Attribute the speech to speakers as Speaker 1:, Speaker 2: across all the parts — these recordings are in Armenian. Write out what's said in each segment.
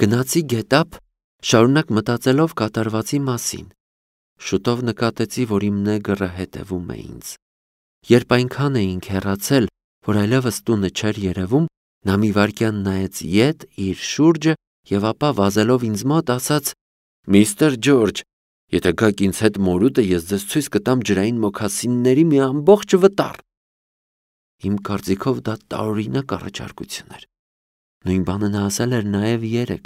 Speaker 1: Գնացի գետափ, շարունակ մտածելով կատարվածի մասին։ Շուտով նկատեցի, որ իմ նեգրը հետևում է ինձ։ Երբ այնքան էինք հեռացել, որ այլևս տունը չէր երևում, նա մի վայրկյան նայեց ետ իր շուրջը եւ ապա վազելով ինձ մոտ ասաց. «Միստր Ջորջ, եթե գաք ինձ հետ մորուտը, ես ձեզ ցույց կտամ ջրային մոքասինների մի ամբողջ վտար»։ Իմ կարծիքով դա տարօրինակ առաջարկություն էր։ Նույն բանը նա ասել էր նաև երեկ։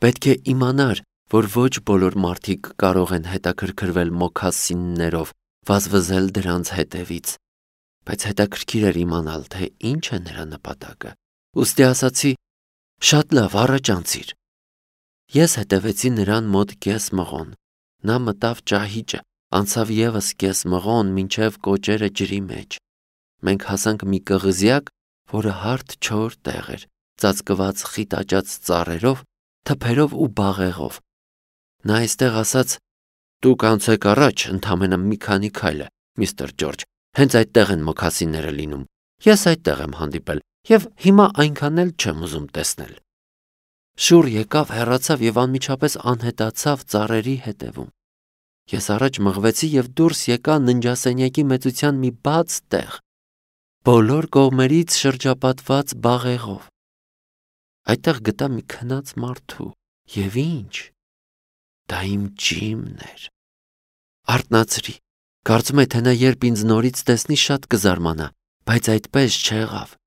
Speaker 1: Պետք է իմանար, որ ոչ բոլոր մարդիկ կարող են հետաքրքրվել մոքասիններով, վազվզել դրանց հետևից, բայց հետաքրքիր էր իմանալ, թե ինչ է նրա նպատակը։ Ուստի ասացի. «Շատ լավ, առաջ անցիր»։ Ես հետևեցի նրան մոտ կես մղոն։ Նա մտավ ճահիճը, անցավ եւս կես մղոն, մինչև կոճերը ջրի մեջ։ Մենք հասանք մի կղզյակ, որը հարթ չոր տեղ էր, ծածկված խիտ աճած ծառերով, թփերով ու բաղեղով։ Նա այստեղ ասաց. «Դուք անցեք առաջ, ընդամենը մի քանի քայլ է, միստր Ջորջ, հենց այդտեղ են մոքասինները լինում։ Ես այդտեղ եմ հանդիպել եւ հիմա այնքան էլ չեմ ուզում տեսնել»։ Շուռ եկավ, հեռացավ եւ անմիջապես անհետացավ ծառերի հետևում։ Ես առաջ մղվեցի եւ դուրս եկա ննջասենյակի մեծության մի բաց տեղ, բոլոր կողմերից շրջապատված բաղեղով։ Այդտեղ գտա մի քնած մարդու եւ ինչ։ Դա իմ Ջիմն էր։ Արթնացրի։ Կարծում եմ, թե նա երբ ինձ նորից տեսնի, շատ կզարմանա, բայց այդպես չեղավ։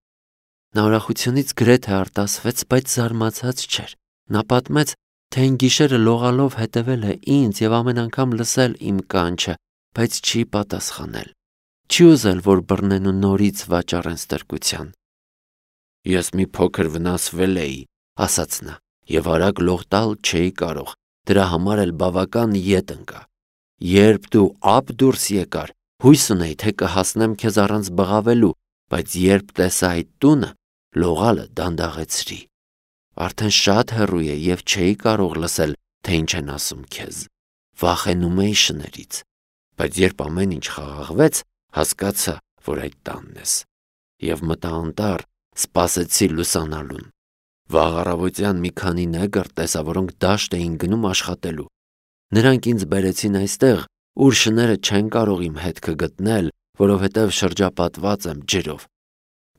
Speaker 1: Նա ուրախությունից գրեթե արտասվեց, բայց զարմացած չէր։ Նա պատմեց, թե այն գիշերը լողալով հետևել է ինձ եւ ամեն անգամ լսել իմ կանչը, բայց չի պատասխանել։ Չի ուզել, որ բռնեն ու նորից վաճառեն ստրկության։ «Ես մի փոքր վնասվել էի», ասաց նա, «եւ արագ լող տալ չէի կարող, դրա համար էլ բավական ետ ընկա։ Երբ դու ափ դուրս եկար, հույս ունեի, թե կհասնեմ քեզ առանց բղավելու, բայց երբ տեսա այդ տունը, լողալը դանդաղեցրի։ Արդեն շատ հեռու է եւ չէի կարող լսել, թե ինչ են ասում քեզ։ Վախենում էի շներից, բայց երբ ամեն ինչ խաղաղվեց, հասկացա, որ այդ տանն ես։ Եվ մտա անտառ, սպասեցի լուսանալուն։ Վաղ առավոտյան մի քանի նեգր տեսա, որոնք դաշտ էին գնում աշխատելու։ Նրանք ինձ բերեցին այստեղ, ուր շները չեն կարող իմ հետքը գտնել, որովհետև շրջապատված եմ ջրով։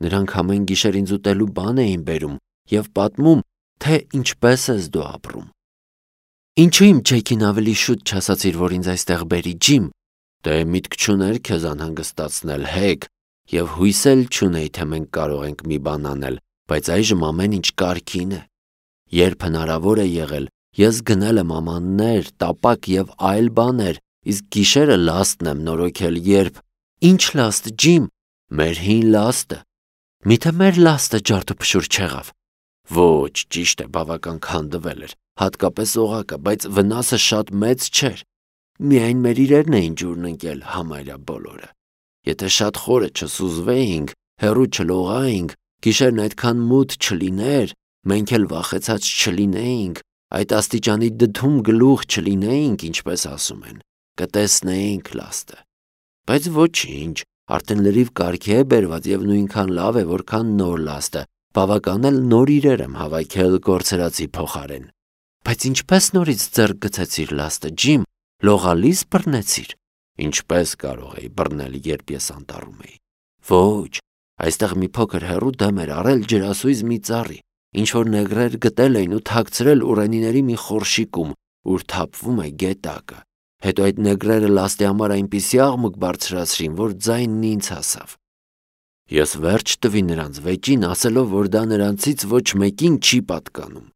Speaker 1: Նրանք ամեն գիշեր ինձ ուտելու բան էին բերում եւ պատմում, թե ինչպես ես դու ապրում։ Ինչու իմ Ջեքին ավելի շուտ չասացիր, որ ինձ այստեղ բերի, Ջիմ։ Դե միտք չուներ քեզ անհանգստացնել, հեկ, եւ հույս էլ չունեի, թե մենք կարող ենք մի բան անել, բայց այժմ ամեն ինչ կարգին է։ Երբ հնարավոր է եղել, ես գնել եմ ամաններ, տապակ եւ այլ բաներ, իսկ գիշերը լաստն եմ նորոգել, երբ… Ինչ լաստ, Ջիմ։ Մեր հին լաստը։ Միթե մեր լաստը ջարդուփշուր չեղավ։ Ոչ, ճիշտ է, բավական քանդվել էր, հատկապես օղակը, բայց վնասը շատ մեծ չէր։ Միայն մեր իրերն էին ջուրն ընկել համարյա բոլորը։ Եթե շատ խորը չսուզվեինք, հեռու չլողայինք, գիշերն այդքան մութ չլիներ, մենք էլ վախեցած չլինեինք, այդ աստիճանի դդում գլուխ չլինեինք, ինչպես ասում են, կտեսնեինք լաստը։ Բայց ոչինչ, արդեն լրիվ կարգի է բերված եւ նույնքան լավ է, որքան նոր լաստը, բավական էլ նոր իրեր եմ հավաքել կորցրածի փոխարեն։ Բայց ինչպես նորից ձեռք գցեցիր լաստը, Ջիմ, լողալիս բռնեցիր։ Ինչպես կարող էի բռնել, երբ ես անտառում էի։ Ոչ, այստեղ մի փոքր հեռու դեմ էր առել ջրասույզ մի ծառի, ինչ որ նեգրեր գտել էին ու թաքցրել ուռենիների մի խորշիկում, ուր թափվում է գետակը։ Հետո այդ նեգրերը լաստի համար այնպիսի աղմուկ բարձրացրին, որ ձայնն ինձ հասավ։ Ես վերջ տվի նրանց վեճին, ասելով, որ դա նրանցից ոչ մեկին չի պատկանում։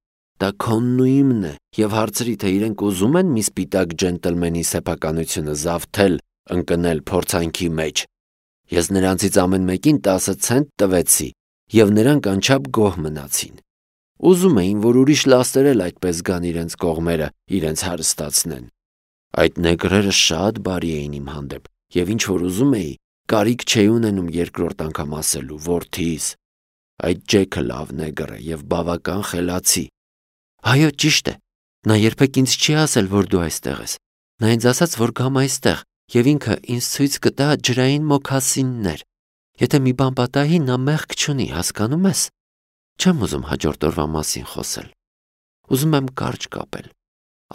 Speaker 1: Դա քոնն ու իմն է, եւ հարցրի, թե իրենք ուզում են մի սպիտակ ջենտլմենի սեփականությունը զավթել, ընկնել փորձանքի մեջ։ Ես նրանցից ամեն մեկին 10 ցենտ տվեցի, եւ նրանք անչափ գոհ մնացին։ Ուզում էին, որ ուրիշ լաստեր էլ այդպես գան իրենց կողմերը, իրենց հարստացնեն։ Այդ նեգրերը շատ բարի էին իմ հանդեպ, եւ ինչ որ ուզում էի, կարիք չէի ունենում երկրորդ անգամ ասելու, որդիս։ Այդ Ջեքը լավ նեգր է եւ բավական խելացի։ Այո, ճիշտ է։ Նա երբեք ինձ չի ասել, որ դու այստեղ ես։ Նա ինձ ասաց, որ գամ այստեղ, եւ ինքը ինձ ցույց կտա ջրային մոքասիններ։ Եթե մի բան պատահի, նա մեղք չունի, հասկանում ես։ Չեմ ուզում հաջորդ օրվա մասին խոսել։ ուզում եմ կարճ կապել։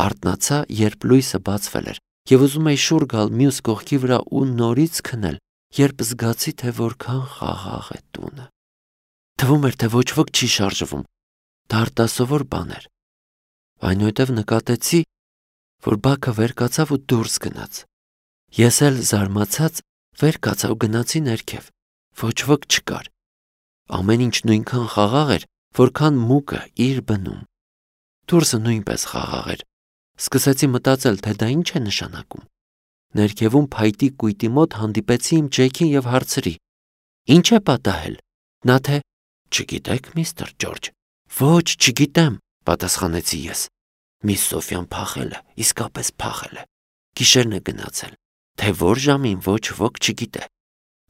Speaker 1: Արթնացա, երբ լույսը բացվել էր, եւ ուզում էի շուռ գալ մյուս կողքի վրա ու նորից քնել, երբ զգացի, թե որքան խաղաղ է տունը։ Թվում էր, թե ոչ ոք չի շարժվում։ Դա արտասովոր բան էր։ Այնուհետև նկատեցի, որ Բաքը վեր կացավ ու դուրս գնաց։ Ես էլ զարմացած վեր կացա ու գնացի ներքև։ Ոչ ոք չկար։ Ամեն ինչ նույնքան խաղաղ էր, որքան մուկը իր բնում։ Դուրսը նույնպես խաղաղ էր։ Սկսեցի մտածել, թե դա ինչ է նշանակում։ Ներքևում փայտի կույտի մոտ հանդիպեցի իմ Ջեքին եւ հարցրի. Ինչ է պատահել։ Նա թե չգիտեք, միստր Ջորջ։ Ոչ, չգիտեմ, պատասխանեցի ես։ Միս Սոֆյան փախել է, իսկապես փախել է։ Գիշերն է գնացել, թե որ ժամին ոչ ոք չգիտե։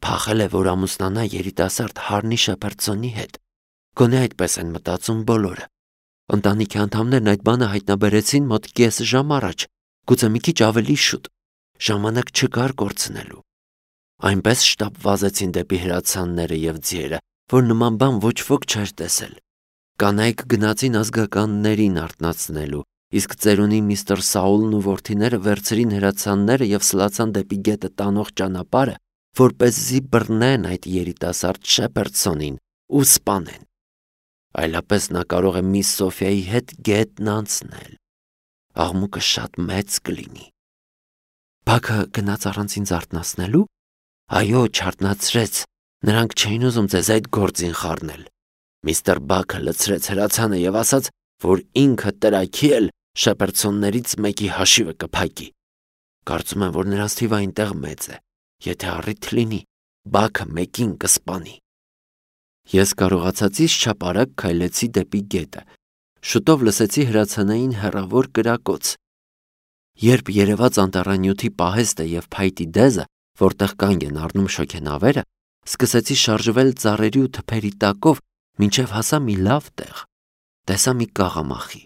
Speaker 1: Փախել է, որ ամուսնանա երիտասարդ Հարնի Շեփերդսոնի հետ։ Գոնե այդպես են մտածում բոլորը։ Ընտանիքի անդամներն այդ բանը հայտնաբերեցին մոտ կես ժամ առաջ, գուցե մի քիչ ավելի շուտ։ Ժամանակ չկար կորցնելու։ Այնպես շտապ վազեցին դեպի հրացանները եւ ձիերը, որ նման բան ոչ ոք չէր տեսել։ Կանայք գնացին ազգականներին արթնացնելու, իսկ ծերունի միստր Սաուլն ու որդիները վերցրին հրացանները եւ սլացան դեպի գետը տանող ճանապարհը, որպեսզի բռնեն այդ երիտասարդ Շեփերդսոնին ու սպանեն։ Այլապես նա կարող է միս Սոֆիայի հետ գետն անցնել։ Աղմուկը շատ մեծ կլինի։ Բաքը գնաց առանց ինձ արթնացնելու։ Այո, չարթնացրեց։ Նրանք չէին ուզում ձեզ այդ գործին խառնել։ Միստր Բաքը լցրեց հրացանը եւ ասաց, որ ինքը տրաքի էլ Շեփերդսոններից մեկի հաշիվը կփակի։ Կարծում եմ, որ նրանց թիվը այնտեղ մեծ է։ Եթե առիթ լինի, Բաքը մեկին կսպանի։ Ես կարողացածից չափ արագ քայլեցի դեպի գետը։ Շուտով լսեցի հրացանային հեռավոր կրակոց։ Երբ երևաց անտառանյութի պահեստը եւ փայտի դեզը, որտեղ կանգ են առնում շոգենավերը, սկսեցի շարժվել ծառերի ու թփերի տակով, մինչև հասա մի լավ տեղ։ Տեսա մի կաղամախի։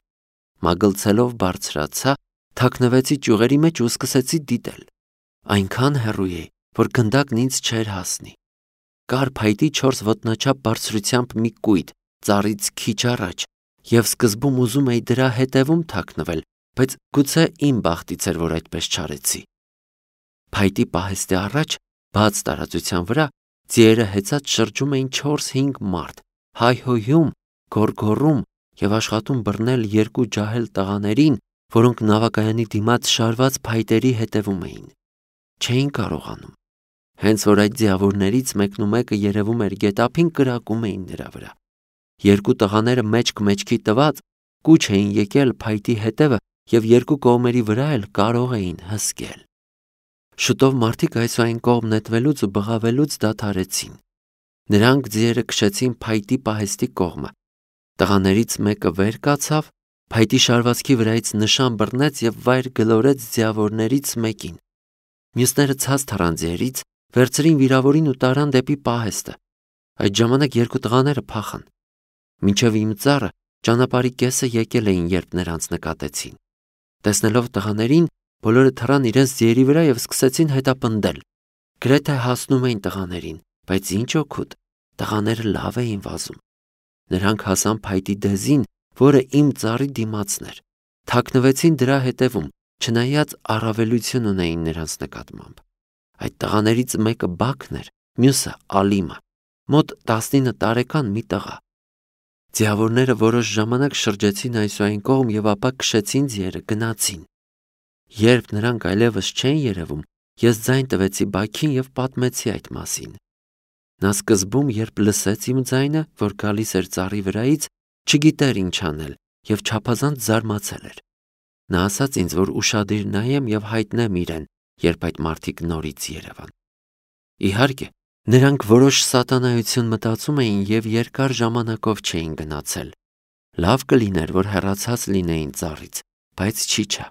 Speaker 1: Մագլցելով բարձրացա, թաքնվեցի ճյուղերի մեջ ու սկսեցի դիտել։ Այնքան հեռու էի, որ գնդակն ինձ չէր հասնի։ Կար փայտի 4 ոտնաչափ բարձրությամբ մի կույտ, ծառից քիչ առաջ, եւ սկզբում ուզում էի դրա հետևում թաքնվել, բայց գուցե իմ բախտից էր, որ այդպես չարեցի։ Փայտի պահեստի առաջ, բաց տարածության վրա, ձիերը հեծած շրջում էին 4-5 մարդ, հայհոյում, գոռգոռում եւ աշխատում բռնել 2 ջահել տղաներին, որոնք նավակայանի դիմաց շարված փայտերի հետևում էին։ Չէին կարողանում։ Հենց որ այդ ձիավորներից մեկն ու մեկը երևում էր գետափին, կրակում էին նրա վրա։ 2 տղաները մեջք-մեջքի տված կուչ էին եկել փայտի հետևը եւ 2 կողմերի վրա էլ կարող էին հսկել։ Շուտով մարդիկ այսուայն կողմ նետվելուց ու բղավելուց դադարեցին։ Նրանք ձիերը քշեցին փայտի պահեստի կողմը։ Տղաներից մեկը վեր կացավ, փայտի շարվածքի վրայից նշան բռնեց եւ վայր գլորեց ձիավորներից մեկին։ Մյուսները ցած թռան ձիերից, վերցրին վիրավորին ու տարան դեպի պահեստը։ Այդ ժամանակ 2 տղաները փախան։ Մինչև իմ ծառը ճանապարհի կեսը եկել էին, երբ նրանց նկատեցին։ Տեսնելով տղաներին, բոլորը թռան իրենց ձիերի վրա եւ սկսեցին հետապնդել։ Գրեթե հասնում էին տղաներին, բայց ինչ օգուտ, տղաները լավ էին վազում։ Նրանք հասան փայտի դեզին, որը իմ ծառի դիմացն էր։ Թաքնվեցին դրա հետևում, չնայած առավելություն ունեին նրանց նկատմամբ։ Այդ տղաներից մեկը Բաքն էր, մյուսը Ալիմը, մոտ 19 տարեկան մի տղա։ Ձիավորները որոշ ժամանակ շրջեցին այսուայն կողմ եւ ապա քշեցին ձիերը, գնացին։ Երբ նրանք այլևս չեն երևում, ես ձայն տվեցի Բաքին եւ պատմեցի այդ մասին։ Նա սկզբում, երբ լսեց իմ ձայնը, որ գալիս էր ծառի վրայից, չգիտեր ինչ անել եւ չափազանց զարմացել էր։ Նա ասաց ինձ, որ ուշադիր նայեմ եւ հայտնեմ իրեն, երբ այդ մարդիկ նորից երևան։ Իհարկե, նրանք որոշ սատանայություն մտածում էին եւ երկար ժամանակով չէին գնացել։ Լավ կլիներ, որ հեռացած լինեին ծառից, բայց չիչա։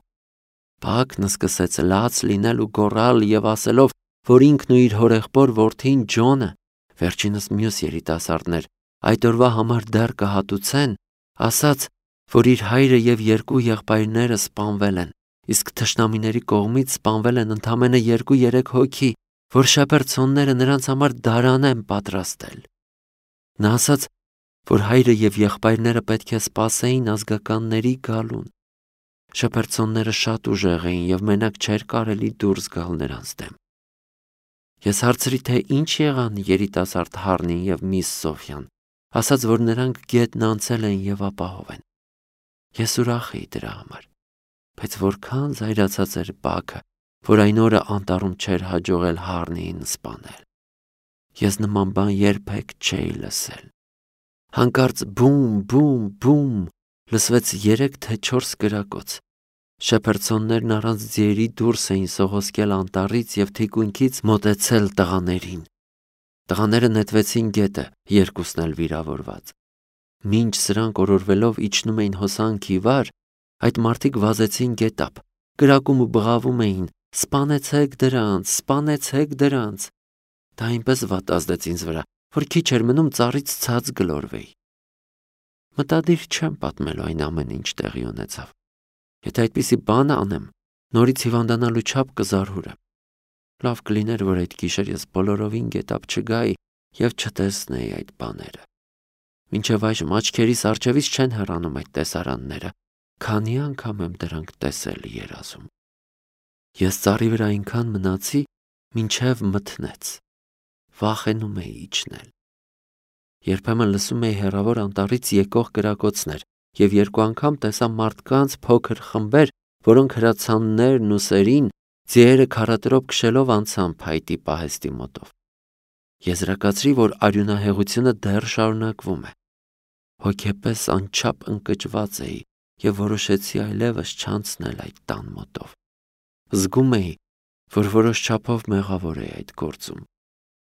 Speaker 1: Բաքն սկսեց լաց լինել ու գոռալ եւ ասելով, որ ինքն ու իր հորեղբոր որդին Ջոնը, վերջինս մյուս երիտասարդներ, այդ օրվա համար դեռ կհատուցեն, ասաց, որ իր հայրը եւ 2 եղբայրները սպանվել են, իսկ թշնամիների կողմից սպանվել են ընդամենը 2-3 հոգի, որ Շեփերդսոնները նրանց համար դարան են պատրաստել։ Նա ասաց, որ հայրը եւ եղբայրները պետք է սպասեին ազգականների գալուն։ Շփերցոնները շատ ուժեղ էին եւ մենակ չէր կարելի դուրս գալ նրանց դեմ։ Ես հարցրի, թե ինչ եղան երիտասարդ Հարնին եւ միս Սոֆյան, ասաց, որ նրանք գետն անցել են եւ ապահով են։ Ես ուրախ էի դրա համար, բայց որքան զայրացած էր Բաքը, որ այն օրը անտառում չէր հաջողել Հարնիին սպանել։ Ես նման բան երբեք չէի լսել։ Հանկարծ բում, բում, բում լսվեց 3 թե 4 կրակոց։ Շփերցոններն առանց ձիերի դուրս էին սողոսկել անտառից եւ թիկունքից մոտեցել տղաներին։ Տղաները նետվեցին գետը, երկուսն էլ վիրավորված։ Մինչ սրանք օրորվելով իջնում էին հոսանքի վար, այդ մարդիկ վազեցին գետապ, կրակում ու բղավում էին. «Սպանեցեք դրանց, սպանեցեք դրանց»։ Դա այնպես վատ ազդեց ինձ վրա, որ քիչ էր մնում ծառից ցած գլորվեի։ Մտադիր չեմ պատմելու այն ամեն ինչ տեղի ունեցավ։ Եթե այդպիսի բան անեմ, նորից հիվանդանալու չափ կզարհուրեմ։ Լավ կլիներ, որ այդ գիշեր ես բոլորովին գետապ չգայի եւ չտեսնեի այդ բաները։ Մինչև այժմ աչքերիս առջևից չեն հեռանում այդ տեսարանները, քանի անգամ եմ դրանք տեսել երազում։ Ես ծառի վրա այնքան մնացի, մինչև մթնեց։ Վախենում էի իջնել։ Երբեմն լսում էի հեռավոր անտառից եկող կրակոցներ եւ 2 անգամ տեսա մարդկանց փոքր խմբեր, որոնք հրացաններն ու սերին ձիերը քարատրոպ քշելով անցան փայտի պահեստի մոտով։ Եզրակացրի, որ արյունահեղությունը դեռ շարունակվում է։ Հոգեպես անչափ ընկճված էի եւ որոշեցի այլևս չանցնել այդ տան մոտով։ Զգում էի, որ որոշ չափով մեղավոր էի այդ գործում։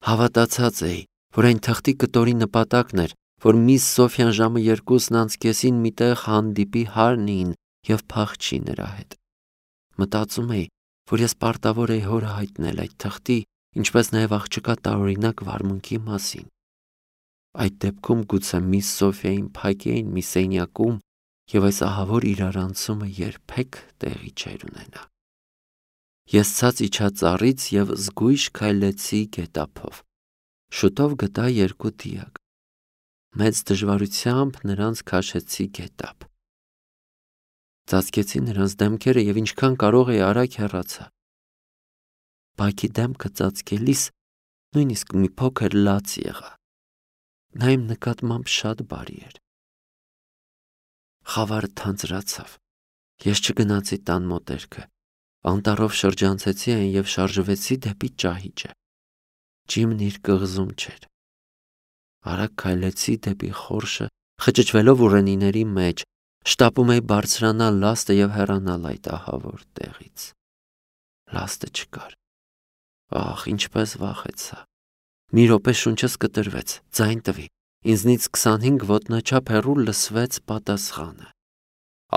Speaker 1: Հավատացած էի, որ այն թղթի կտորի նպատակն էր, որ միս Սոֆյան ժամը 2:30-ին միտեղ հանդիպի Հարնիին եւ փախչի նրա հետ։ Մտածում էի, որ ես պարտավոր էի հորը հայտնել այդ թղթի, ինչպես նաեւ աղջկա տարօրինակ վարմունքի մասին։ Այդ դեպքում գուցե միս Սոֆիային փակեին մի սենյակում եւ այս ահավոր իրարանցումը երբեք տեղի չէր ունենա։ Ես ցած իջա ծառից եւ զգույշ քայլեցի գետափով։ Շուտով գտա 2 դիակ։ Մեծ դժվարությամբ նրանց քաշեցի գետափ։ Ծածկեցի նրանց դեմքերը եւ ինչքան կարող էի արագ հեռացա։ Բակի դեմքը ծածկելիս նույնիսկ մի փոքր լաց եղա։ Նա իմ նկատմամբ շատ բարի էր։ Խավարը թանձրացավ։ Ես չգնացի տան մոտերքը։ Անտառով շրջանցեցի այն եւ շարժվեցի դեպի ճահիճը։ Ջիմն իր կղզում չէր։ Արագ քայլեցի դեպի խորշը, խճճվելով ուռենիների մեջ, շտապում էի բարձրանալ լաստը եւ հեռանալ այդ ահավոր տեղից։ Լաստը չկար։ Ահ, ինչպես վախեցա։ Մի րոպե շունչս կտրվեց, ձայն տվի։ Ինձնից 25 ոտնաչափ հեռու լսվեց պատասխանը.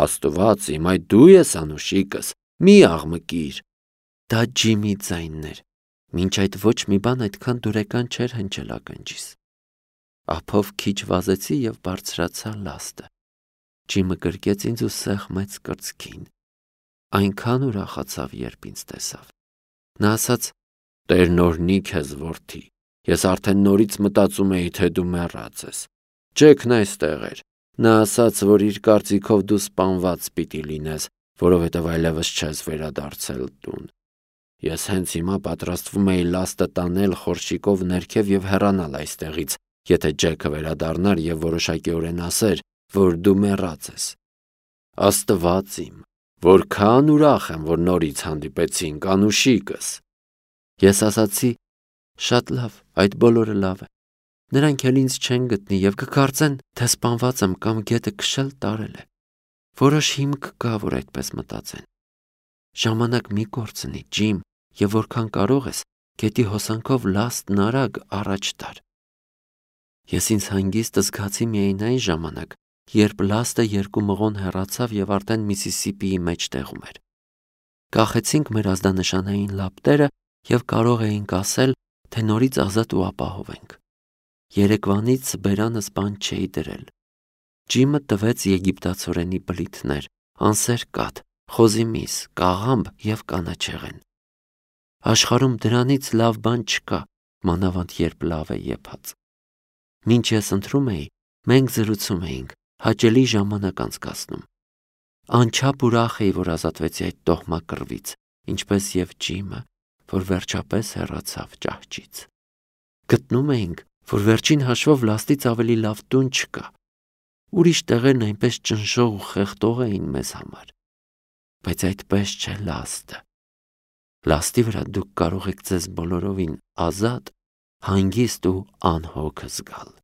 Speaker 1: Աստված իմ, այդ դու ես անուշիկս, մի աղմկիր։ Դա Ջիմի ձայնն էր։ Մինչ այդ ոչ մի բան այդքան դուրեկան չէր հնչել ականջիս։ Ափով քիչ վազեցի եւ բարձրացա լաստը։ Ջիմը գրկեց ինձ ու սեղմեց կրծքին։ Այնքան ուրախացավ, երբ ինձ տեսավ։ Նա ասաց. Տերն օրհնի քեզ, որդի։ Ես արդեն նորից մտածում էի, թե դու մեռած ես։ Ջեքն այստեղ էր։ Նա ասաց, որ իր կարծիքով դու սպանված պիտի լինես, որովհետև այլևս չես վերադարձել տուն։ Ես հենց հիմա պատրաստվում էի լաստը տանել խորշիկով ներքև եւ հեռանալ այստեղից, եթե Ջեքը վերադառնար եւ որոշակիորեն ասեր, որ դու մեռած ես։ Աստված իմ, որքան ուրախ եմ, որ նորից հանդիպեցինք, անուշիկս։ Ես ասացի. շատ լավ, այդ բոլորը լավ է։ Նրանք էլ ինձ չեն գտնի եւ կկարծեն, թե սպանված եմ կամ գետը քշել տարել է։ Որոշ հիմք կա, որ այդպես մտածեն։ Ժամանակ մի կորցնի, Ջիմ, եւ որքան կարող ես, գետի հոսանքով լաստն արագ առաջ տար։ Ես ինձ հանգիստ զգացի միայն այն ժամանակ, երբ լաստը 2 մղոն հեռացավ եւ արդեն Միսիսիպիի մեջտեղում էր։ Կախեցինք մեր ազդանշանային լապտերը եւ կարող էինք ասել, թե նորից ազատ ու ապահով ենք։ Երեկվանից բերանս բան չէի դրել։ Ջիմը տվեց եգիպտացորենի բլիթներ, անսեր կաթ, խոզի միս, կաղամբ եւ կանաչեղեն։ Աշխարհում դրանից լավ բան չկա, մանավանդ երբ լավ է եփած։ Մինչ ես ընթրում էի, Մենք զրուցում էինք, հաճելի ժամանակ անցկացնում։ Անչափ ուրախ էի, որ ազատվեցի այդ տոհմակռվից, ինչպես եւ Ջիմը, որ վերջապես հեռացավ ճահճից։ Գտնում էինք, որ վերջին հաշվով լաստից ավելի լավ տուն չկա։ Ուրիշ տեղերն այնպես ճնշող ու խեղդող էին մեզ համար։ Բայց այդպես չէ լաստը։ Լաստի վրա դուք կարող եք ձեզ բոլորովին ազատ, հանգիստ ու անհոգ զգալ։